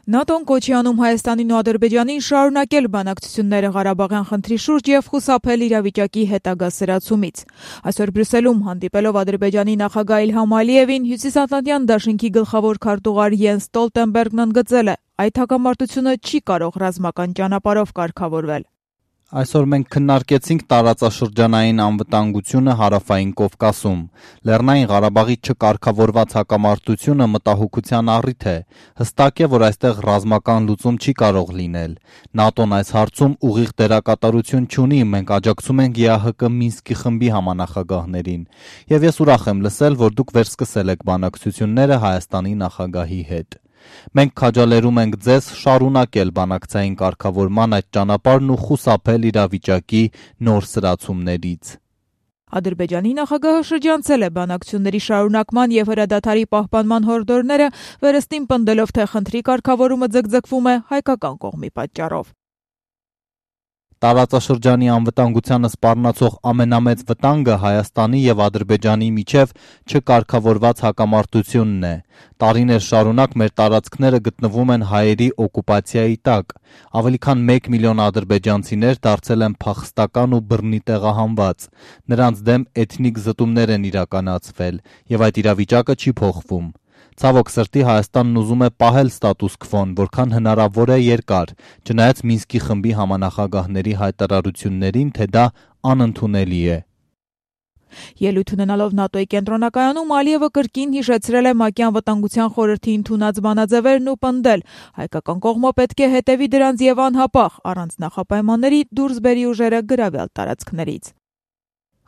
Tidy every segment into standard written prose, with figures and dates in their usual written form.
ՆԱՏՕ-ն կոչի անում Հայաստանին ու Ադրբեջանին շարունակել բանակցությունները Ղարաբաղյան խնդրի շուրջ եւ խուսափել իրավիճակի հետագա սրացումից։ Այսօր Բրյուսելում հանդիպելով Ադրբեջանի նախագահ Իլհամ Ալիևին, Հյուսիսատլանտյան դաշինքի գլխավոր քարտուղար Յենս Ստոլտենբերգն ընդգծել է, այդ հակամարտությունը չի կարող ռազմական ճանապարհով կարգավորվել։ Այսօր մենք քննարկեցինք տարածաշրջանային անվտանգությունը Հարավային Կովկասում։ Լեռնային Ղարաբաղի չկարգավորված հակամարտությունը մտահոգության առիթ է։ Հստակ է, որ այստեղ ռազմական լուծում չի կարող լինել։ ՆԱՏՕ-ն այս հարցում ուղիղ դերակատարություն չունի, մենք աջակցում ենք ԵԱՀԿ Մինսկի խմբի համանախագահներին։ Եվ ես ուրախ եմ լսել, որ դուք վերսկսել եք բանակցությունները Հայաստանի նախագահի հետ։ Մենք քաջալերում ենք ձեզ շարունակել բանակցային կարգավորման այդ ճանապարհն ու խուսափել իրավիճակի նոր սրացումներից։ Ադրբեջանի նախագահը շրջանցել է բանակցությունների շարունակման եւ հրադադարի պահպանման հորդորները, վերստին պնդելով, թե խնդրի կարգավորումը ձգձգվում է հայկական կողմի պատճառով։ Տարածաշրջանի անվտանգությանը սպառնացող ամենամեծ վտանգը Հայաստանի եւ Ադրբեջանի միջև չկարգավորված հակամարտությունն է։ Տարիներ շարունակ մեր տարածքները գտնվում են հայերի օկուպացիայի տակ։ Ավելի քան 1 միլիոն ադրբեջանցիներ դարձել են փախստական ու բռնի տեղահանված։ Նրանց դեմ էթնիկ զտումներ են իրականացվել եւ այդ իրավիճակը չի փոխվում։ Ցավոք սրտի Հայաստանն ուզում է պահել ստատուս քվոն, որքան հնարավոր է երկար, չնայած Մինսկի խմբի համանախագահների հայտարարություններին, թե դա անընդունելի է։ Ելույթ ունենալով ՆԱՏՕ-ի կենտրոնակայանում Ալիևը կրկին հիշեցրել է ՄԱԿ-ի անվտանգության խորհրդի ընդունած բանաձևերն ու պնդել, հայկական կողմը պետք է հետևի դրանց եւ անհապաղ, առանց նախապայմանների դուրս բերի ուժերը գրավյալ տարածքներից։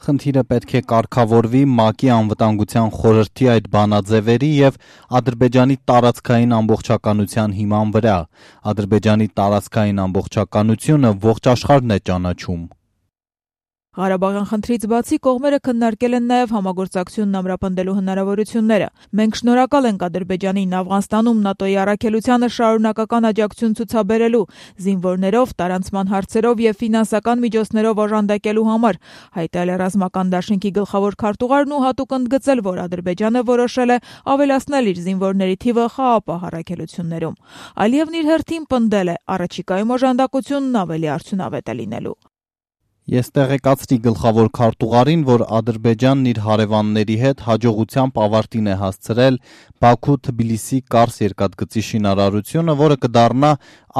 Խնդիրը պետք է կարգավորվի ՄԱԿ-ի անվտանգության խորհրդի այդ բանաձևերի եւ Ադրբեջանի տարածքային ամբողջականության հիման վրա։ Ադրբեջանի տարածքային ամբողջականությունը ողջ աշխարհն է ճանաչում։ Ղարաբաղյան խնդրից բացի կողմերը քննարկել են նաև համագործակցությունն ամրապնդելու հնարավորությունները։ Մենք շնորհակալ ենք Ադրբեջանին Աֆղանստանում ՆԱՏՕ-ի առաքելությանը շարունակական աջակցություն ցուցաբերելու, զինվորներով, տարանցման հարցերով եւ ֆինանսական միջոցներով օժանդակելու համար, հայտարարել է ռազմական դաշինքի գլխավոր քարտուղարն ու հատուկ ընդգծել, որ Ադրբեջանը որոշել է ավելացնել իր զինվորների թիվը խաղաղ առաքելություններում։ Ալիևն իր հերթին պնդել է, առաջիկայում օժանդակությունն ավելի արդյունավետ է լինելու։ Ես տեղեկացրի գլխավոր քարտուղարին, որ Ադրբեջանն իր հարևանների հետ հաջողությամբ ավարտին է հասցրել Բաքու-Թբիլիսի Կարս երկաթգծի շինարարությունը, որը կդառնա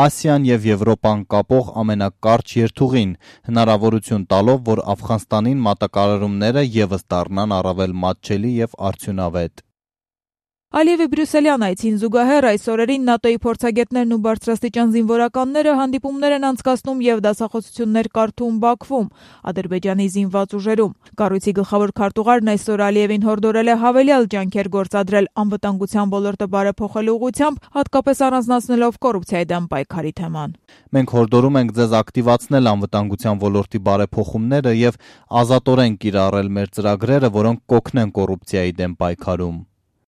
Ասիան եւ Եվրոպան կապող ամենակարճ երթուղին, հնարավորություն տալով, որ Աֆղանստանին մատակարարումները եւս դառնան առավել մատչելի եւ արդյունավետ։ Ալիևի Բրյուսելյան այցին զուգահեռ այս օրերին ՆԱՏՕ-ի փորձագետներն ու բարձրաստիճան զինվորականները հանդիպումներ են անցկացնում եւ դասախոսություններ կարդում Բաքվում, Ադրբեջանի զինված ուժերում։ Կառույցի գլխավոր քարտուղարն այսօր Ալիևին հորդորել է հավելյալ ջանքեր գործադրել անվտանգության ոլորտը բարեփոխելու ուղղությամբ, հատկապես առանձնացնելով կոռուպցիայի դեմ պայքարի թեման։ Մենք հորդորում ենք ձեզ ակտիվացնել անվտանգության ոլորտի բարեփոխումները եւ ազատորեն կիրառել մեր ծրագրերը, որոնք կօգնեն կոռուպցիայի դեմ պայքարում։